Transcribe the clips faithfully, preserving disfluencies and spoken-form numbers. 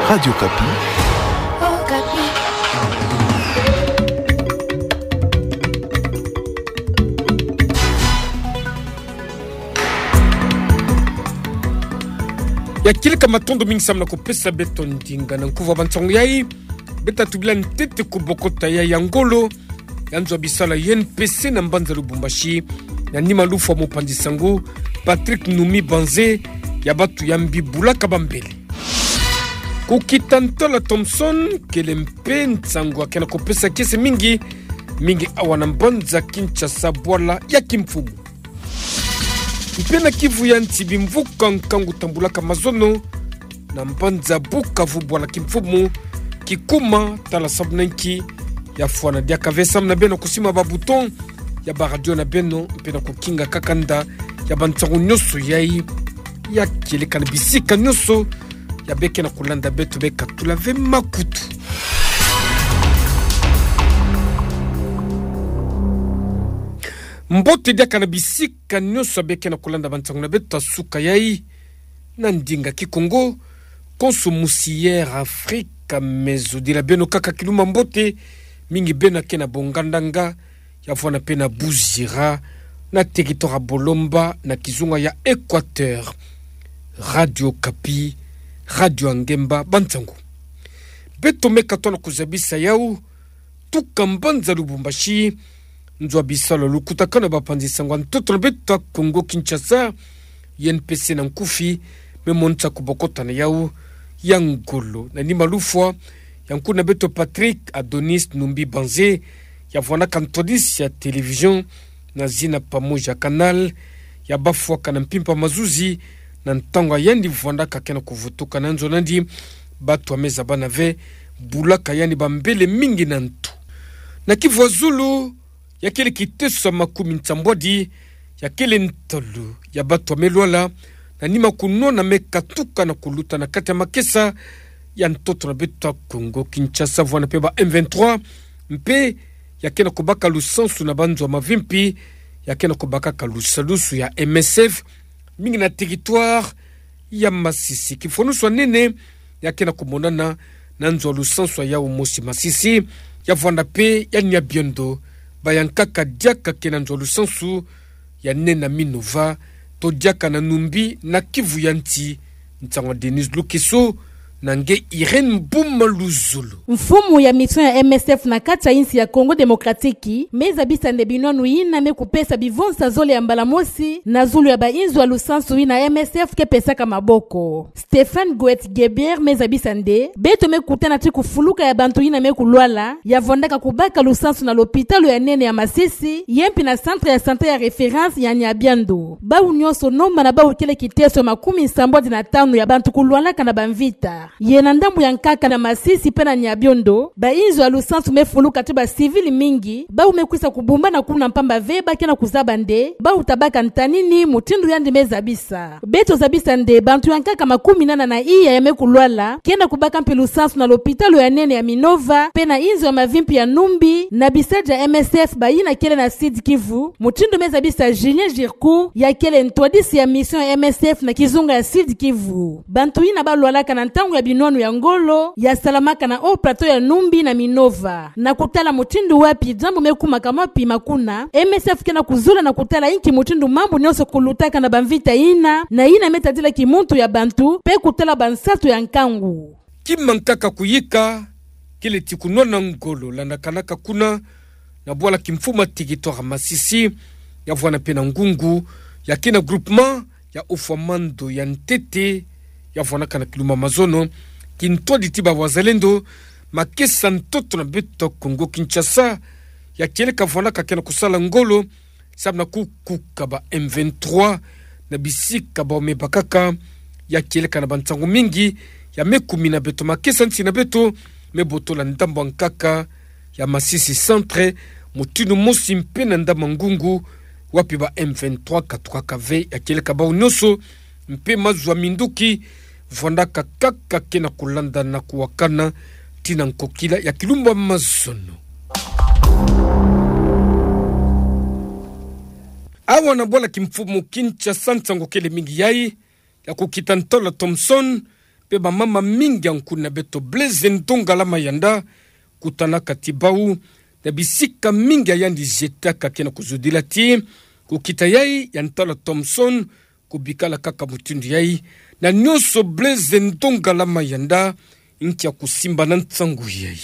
Radio Okapi. Ya kieleka matondo mingi samu na kupesa beto ndinga na nkufi ya bansangu yai. Beto tubila ntete ku bokota yai ya ngolo ya nzo ya bisalu ya U N P C na mbanza Lubumbashi, na nima lufwa mopanzi-nsangu Patrick Numbi Banze, ya batu ya mbi bulaka bambele. Ku kita ntwala Thomson, kele mpe nsangu ya kena kupesa kiese mingi, mingi awa na mbanza Kinshasa, bwala ya kimfumu. Mpe na Kivu ya nsi, bimvuka nkangu tambulaka mazono na mbanza Bukavu, bwala kimfumu, kikuma, tala samu na nki. Ya fwana diaka ve samu na beno kusimba ba bouton ya ba radio na beno, mpe na kukinga kakanda ya bansangu nyonso yai ya kieleka na bisika nyonso ya beke na kulanda beto, beka tula ve makutu. Mbote diaka na bisika nyonso ya beke na kulanda bansangu na beto ya suka yai na ndinga Kikongo. Konso musi Air Afrique, me zodila beno kaka kilumbu ya mbote, mingi beno ya ke na Bongandanga, ya fwana mpe na Buzira, na territoire ya Bolomba, na kizunga ya Equateur. Radio Okapi, radio ya ngemba bansangu. Beto meka tona kuzabisa yau, tuka mbanza Lubumbashi, nzo ya bisalu ya lukutakanu ya bapanzi-nsangu ya ntoto na beto ya Kongo Kinshasa, U N P C na nkufi, me monisa kubokota na yau ya ngolo na nima lufwa ya nkuna beto Patrick Adonis Numbi Banze, ya vwandaka ntwadisi ya télévision na zina Pamoja Canal, ya bafwaka na mpimpa mazuzi na ntangu ya yandi vwandaka kena kuvutuka na nzo nandi. Batu ya meza bana ve, bulaka yandi bambele mingi na ntu. Na Kivu ya zulu, ya kele kiteso ya makumi nsambwadi, ya kele ntalo ya batu ya me lwala na nima kunwana me katuka na kuluta na kati ya makesa ya ntoto na beto ya Kongo Kinshasa, vwanda mpe ba M vingt-trois, mpe ya kena kubaka lusansu na banzo ya mavimpi, ya kena kubakaka lusalusu ya M S F, mingi na territoire ya Masisi. Kifwanusu ya nene ya kena kumonana na nzo ya lusansu ya yau mosi Masisi, ya vwanda mpe ya Nyabiondo, bayankaka diaka ke na nzo ya lusansu ya nene ya Minova, to diaka na Numbi na Kivu ya nsi. Nsangu ya Denise Lukeso na nge Irène Buma Luzolo. Mfumu ya mission ya M S F na kati ya insi ya Congo Démocratique me zabisa nde binwanu yina me kupesa bivonsa zole ya mbala mosi na zulu ya bainzo ya lusansu yina M S F ke pesaka maboko. Stéphane Goetz-Guébert me zabisa nde beto me kutana ti kufuluka ya bantu yina me kulwala, ya vwandaka kubaka lusansu na lopitalo ya nene ya Masisi, ye mpi na centre ya santé ya référence ya Nyabiondo. Bau nyonso nomba na bau kele kiteso ya makumi nsambwadi na tanu ya bantu kulwalaka na bamvita. Ye na ndambu ya nkaka na Masisi mpe na Nyabiondo, bainzo ya lusansu me fuluka ti bacivil mingi, bau me kwisa kubumbana kuna mpamba ve ba kena kuzaba nde bau tabaka ntanini, mutindu yandi me zabisa. Beto zabisa nde bantu ya nkaka makumi nana na iya ya me kulwala, kena kubaka mpi lusansu na lopitalo ya nene ya Minova, mpe na inzo ya mavimpi ya Numbi, na bisalu ya M S F bayina kele na Sud-Kivu, mutindu me zabisa Julien Gircoux, ya kele ntwadisi ya mission ya M S F na kizunga ya Sud-Kivu. Bantu yina balwalaka na ntangu ya binwanu ya ngolo, ya salamaka na haut plateau ya Numbi na Minova. Na kutala mutindu wapi diambu me kumaka mwa pima kuna, M S F kena kuzula na kutala inki mutindu mambu nyonso kulutaka na bamvita yina, na yina me tadila kimuntu ya bantu, mpe kutala bansatu ya nkangu. Kima nkaka kuyika, kele ti kunwana ngolo landakanaka kuna na bwala kimfumu ya territoire Masisi, ya vwanda mpe na ngungu ya kina groupement ya Haut-Foyer Mando ya ntete, ya vwandaka na kilumbu ya mazono, kintwadi ti ba Wazalendo, makesa ntoto na beto Congo Kinshasa, ya kieleka vwandaka kena kusala ngolo samu na kukuka ba M vingt-trois na bisika bau me bakaka. Ya kieleka na bansangu mingi ya me kumina beto, makesa nsi na beto me botola ndambu ya nkaka ya Masisi Centre, mutindu mosi mpe na ndambu ya ngungu, wapi ba M vingt-trois katukaka ve. Ya kieleka bau nyonso mpe mazu ya minduki vwandaka kaka kena kulanda na kuwakana tii na nkokila ya kilumbu ya mazono. Awa na bwala kimfumu Kinshasa, nsangu kele mingi yai ya kukita ntwala Thomson, mpe bamama mingi ya nkuna beto Blaise Ndongala Mayanda, kutanaka ti bau na bisika mingi ya yandi zietaka ke na kuzudila ti kukita yai ya ntala Thomson, kubikala kaka mutindu yai, na nionso Blaise Ndongala Mayanda nkia kusimba na nsangu yai.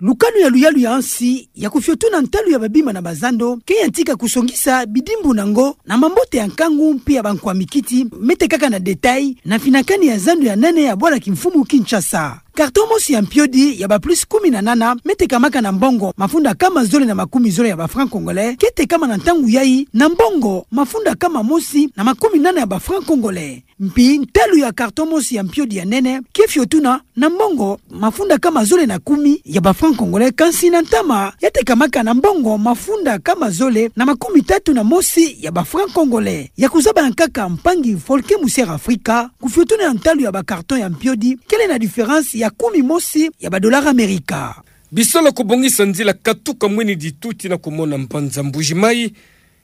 Lukanu ya luyalu ya nsi ya kufiotuna ntalu ya babima na bazando ke yantika kusongisa bidimbu na ngo na mambote ya nkangu mpe ya bankwa mikiti, mete kaka na détail na finakani ya zando ya nene ya bwala kimfumu Kinshasa. Carton mosi ya mpiodi ya ba plus kumi na nana, me tekamaka na mbongo mafunda kama zole na makumi zole ya ba francs congolais, ke tekama na ntangu yai na mbongo mafunda kama mosi na makumi nana ya ba francs congolais. Mpi ntalu ya carton mosi ya mpiodi ya nene ke fiotuna na mbongo mafunda kama zole na kumi ya ba francs congolais, kansi na ntama ya tekamaka na mbongo mafunda kama zole na makumi tatu na mosi ya ba francs congolais. Ya kuzaba ya nkaka mpangi Folke Musiere Afrika, kufiotuna ya ntalu ya ba carton ya mpiodi kele na différence ya kumi mosi ya ba dollars Amerika. Bisalu ya kubongisa nzila katuka Mwene Ditu tii na kumona mbanza Mbuji-Mayi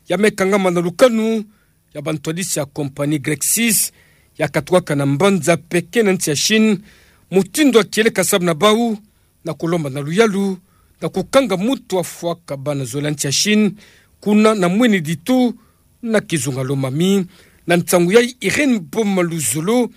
ya me kangama na lukanu ya bantwadisi ya compagnie Grexis ya katukaka na mbanza Pékin na nsi ya Chine, mutindu ya kieleka samu na bau na kulomba na luyalu na kukanga muntu afwaka bana zole ya nsi ya Chine kuna na Mwene Ditu na kizunga Lomami. Na nsangu yai Irène Boma Luzolo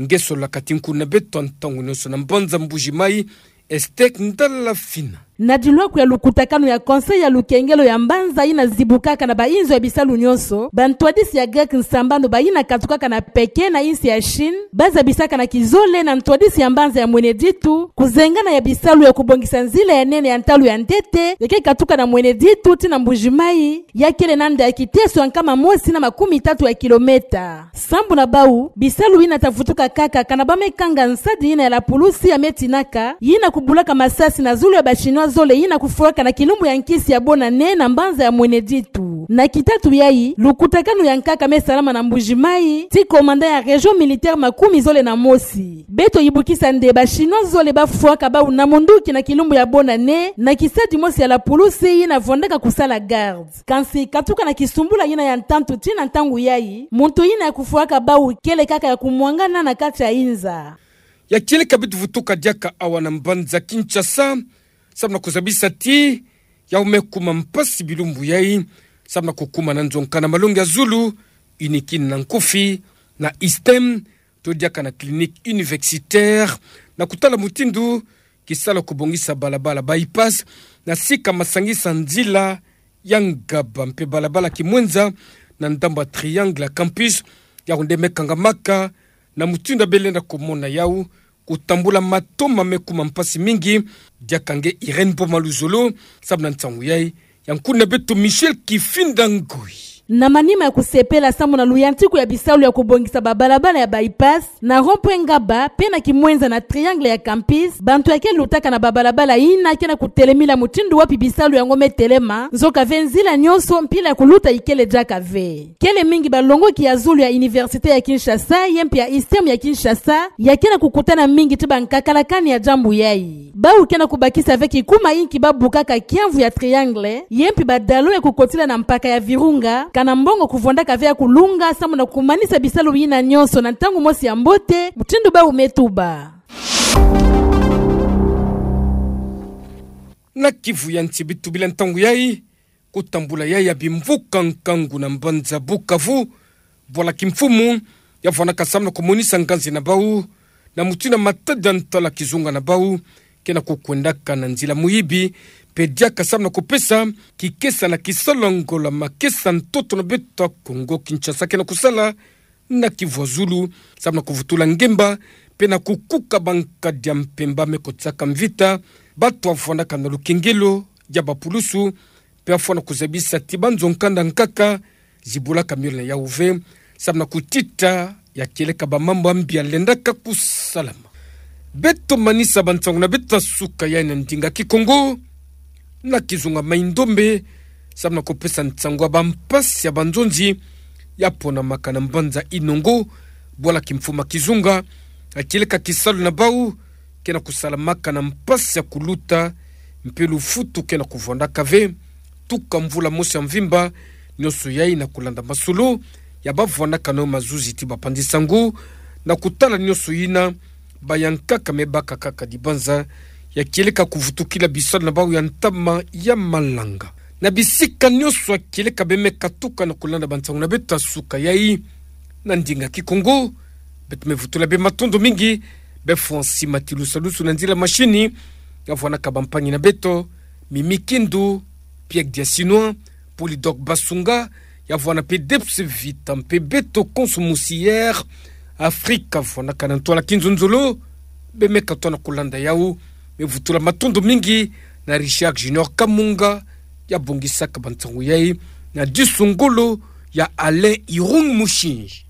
nge sololaka ti nkuna beto ntangu nionso na mbanza Mbuji-Mayi, Esther Ndala Fina. Na dilwaku ya lukutakanu ya Conseil ya lukengelo ya mbanza yina zibukaka na bainzo ya bisalu nionso, bantwadisi ya Grexis sambanu bayina katukaka na Pékin na insi ya Chine, bazabisaka na kizole na ntwadisi ya mbanza ya Mwene Ditu kuzengana ya bisalu ya kubongisa nzila ya nene ya ntalu ya ntete ya ke katuka na Mwene Ditu tii na Mbuji-Mayi, ya kele na nda ya kiteso ya nkama mosi na makumi tatu ya kilomètre. Sambu na bau, bisalu yina ta vutuka kaka kana ba me kanga nsadi yina ya la pulusi ya me tinaka, yina kubulaka masasi na zulu ya ba Chinois zole yina kufwaka na kilumbu ya nkisi ya Bonne Année na mbanza ya Mwene Ditu. Na kitatu yai, lukutakanu ya nkaka me salama na Mbuji-Mayi tii commandant ya région militaire makumi zole na mosi. Beto yibukisa nde ba Chinois zole bafwaka bau na munduki na kilumbu ya Bonne Année na kisadi mosi ya la pulusi yina vwandaka kusala garde. Kansi katuka na kisumbula yina ya ntantu tii na ntangu yai, muntu yina ya kufwaka bau kele kaka ya kumwangana na kati ya inza. Ya kieleka beto vutuka diaka awa na mbanza Kinshasa, samu na kuzabisa ti yau me kuma mpasi bilumbu yai, samu na kukuma na nzonka na malongi ya zulu, unikin na nkufi, na ISTEM, to diaka na clinique universitaire, na kutala mutindu kisalu ya kubongisa balabala bypass na sika masangisa nzila ya ngaba mpe balabala kimwenza na ndambu ya triangle ya campus, yau nde me kangamaka na mutindu ya belenda kumona yau kutambula mato ma me kuma mpasi mingi. Diaka nge Irène Boma Luzolo, samu na nsangu yai ya nkuna beto Michel Kifinda Ngoi. Na manima ya kusepela samu na luyantiku ya bisalu ya kubongisa babalabala ya bypass na rond-point Ngaba mpe na kimwenza na triangle ya campus, bantu ya ke lutaka na babalabala yina ke na kutelemila mutindu wapi bisalu yango me telema, nzoka ve nzila nionso mpila ya kuluta ikele diaka ve. Kele mingi balongoki ya zulu ya Université ya Kinshasa, ye mpe ya ISTEM ya Kinshasa, ya ke na kukutana mingi tii bankakalakani ya diambu yai. Bau ke na kubakisa ve kikuma inki babukaka kiamvu ya triangle, ye mpe badalo ya kukotila na mpaka ya Virunga, kana mbongo kuvwandaka ve ya kulunga, samu na kumanisa bisalu yina nionso na ntangu mosi ya mbote, mutindu bau me tuba. Na kivu ya nsi beto tubila ntangu yai, kutambula yai ya bimvuka nkangu na mbanza Bukavu, bwala kimfumu ya vwandaka samu na kumonisa nganzi na bau na mutindu ya matadi ya ntwala kizunga na bau ke na kukwendaka na nzila muyibi, mpe diaka samu na kupesa kikesa na kisalu ya ngola makesa ntoto na beto ya Kongo Kinshasa ke na kusala na kivu ya zulu, samu na kuvutula ngemba mpe na kukuka bankadi ya mpemba me kotisaka mvita, bantu ya vwandaka na lukengelo ya bapulusu, mpe ya fwana kuzabisa ti banzo nkanda nkaka zibulaka miole na yau ve, samu na kutita ya kieleka bamambu ya mbi ya lendaka kusalama. Beto manisa bansangu na beto ya suka yai na ndinga Kikongo, na kizunga Mai-Ndombe, samu na kupesa nsangu ya bampasi ya banzonzi ya ponamaka na mbanza Inongo, bwala kimfumu ya kizunga, ya kieleka kisalu na bau ke na kusalamaka na mpasi ya kuluta, mpe lufutu ke na kuvwandaka ve, tuka mvula mosi ya mvimba, nionso yai na kulanda masolo ya bavwandaka na yo mazuzi ti bapanzi sango, na kutala nionso yina Bayankaka me bakaka kaka dibanza ya kieleka kuvutukila bisalu na bau ya ntama ya malanga. Na bisika nionso ya kieleka bemeka tuka na kulanda bansangu na beto ya suka yayi na ndinga Kikongo, beto mevutula be matondo mingi be Francis Matilusalusu na nzila mashini, ya vwanaka bampangi na beto, Mimi Kindu, Pierre Diasinois, Polydor Basunga, ya vwana pe Debs Vita mpe beto konso musi Air Afrique, ya vwanaka na ntwala Kinzonzolo, bemeka tona kulanda yawu. Mevutula matondo mingi na Richard Junior Kamunga, ya bongisaka bansangu yayi, na disu ngolo ya Alain Irung Mushinji.